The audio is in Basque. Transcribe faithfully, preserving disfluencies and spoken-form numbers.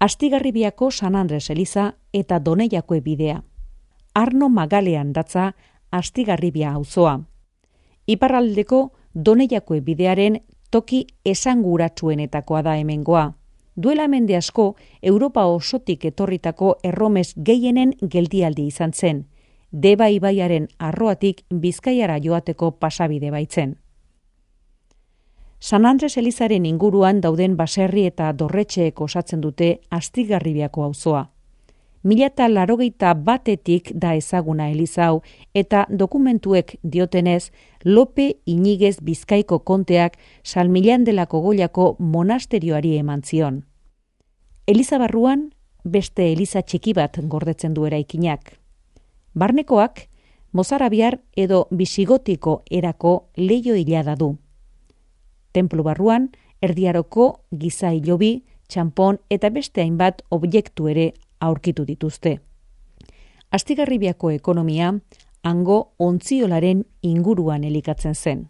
Astigarribiako San Andres eliza eta Doneiako bidea. Arno Magalean datza Astigarribia auzoa. Iparraldeko Doneiako bidearen toki esanguratsuenetakoa da hemengoa. Duela mende asko, Europa osotik etorritako erromes gehienen geldialdi izan zen. Deba ibaiaren arroatik Bizkaiara joateko pasabide baitzen. San Andres elizaren inguruan dauden baserri eta dorretxeek osatzen dute Astigarribiako auzoa. Mila eta larogeita batetik da ezaguna eliza hau eta dokumentuek diotenez Lope Inigez Bizkaiko konteak San Millán de la Cogollako monasterioari eman zion. Eliza barruan beste eliza txiki bat gordetzen du eraikinak. Barnekoak mozarabiar edo bisigotiko erako leiho hilada du. Tenplu barruan erdiaroko giza hilobi, txanpon eta beste hainbat objektu ere aurkitu dituzte. Astigarribiako ekonomia hango ontziolaren inguruan elikatzen zen.